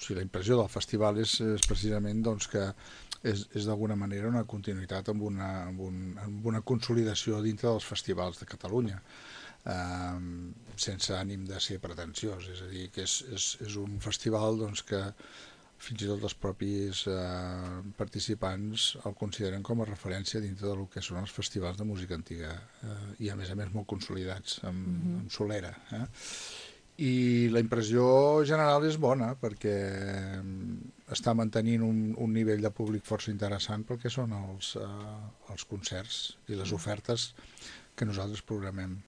sigui, la impressió del festival és precisament doncs, que és d'alguna manera una continuïtat amb una consolidació dintre dels festivals de Catalunya, sense ànim de ser pretensiós, és a dir, que és un festival doncs, que fins i tot els propis participants el consideren com a referència dintre del que són els festivals de música antiga, i a més molt consolidats amb solera. I la impressió general és bona perquè està mantenint un nivell de públic força interessant pel que són els concerts i les ofertes que nosaltres programem.